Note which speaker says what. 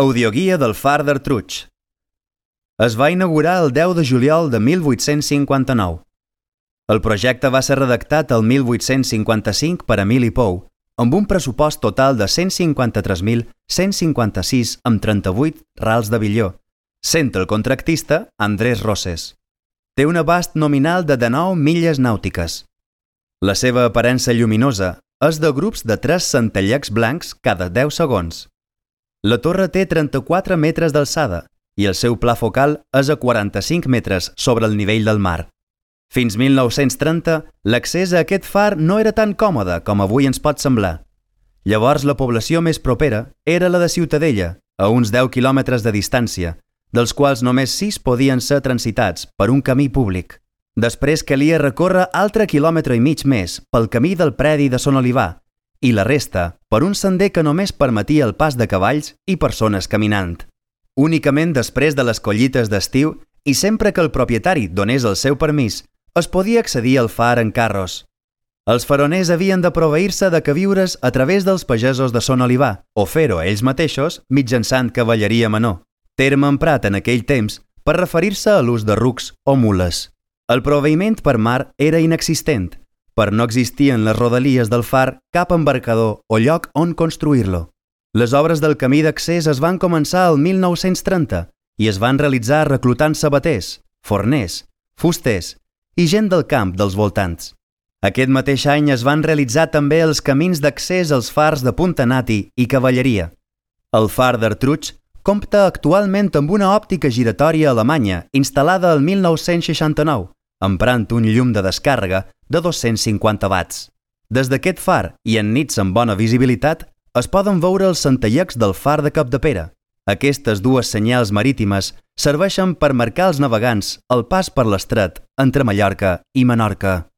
Speaker 1: Audioguia del far d'Artruig. Es va inaugurar el 10 de juliol de 1859. El projecte va ser redactat el 1855 per Emili Pou, amb un pressupost total de 153.156,38 rals de billó, sent el contractista Andrés Roses. Té un abast nominal de 19 milles nàutiques. La seva aparença lluminosa és de grups de 3 centellecs blancs cada 10 segons. La torre té 34 metres d'alçada i el seu pla focal és a 45 metres sobre el nivell del mar. Fins 1930, l'accés a aquest far no era tan còmode com avui ens pot semblar. Llavors la població més propera era la de Ciutadella, a uns 10 quilòmetres de distància, dels quals només 6 podien ser transitats per un camí públic. Després calia recórrer altre quilòmetre i mig més pel camí del predi de Son Olivar i la resta per un sender que només permetia el pas de cavalls i persones caminant. Únicament després de les collites d'estiu i sempre que el propietari donés el seu permís, es podia accedir al far en carros. Els faroners havien de proveir-se de queviures a través dels pagesos de Son Olivar o fer-ho ells mateixos mitjançant cavalleria menor, terme emprat en aquell temps per referir-se a l'ús de rucs o mules. El proveïment per mar era inexistent, per no existir en les rodalies del far cap embarcador o lloc on construir-lo. Les obres del camí d'accés es van començar el 1930 i es van realitzar reclutant sabaters, forners, fusters i gent del camp dels voltants. Aquest mateix any es van realitzar també els camins d'accés als fars de Punta Nati i Cavalleria. El far d'Artruig compta actualment amb una òptica giratòria alemanya instal·lada el 1969, emprant un llum de descàrrega de 250 watts. Des d'aquest far i en nits amb bona visibilitat es poden veure els centellecs del far de Capdepera. Aquestes dues senyals marítimes serveixen per marcar als navegants el pas per l'estret entre Mallorca i Menorca.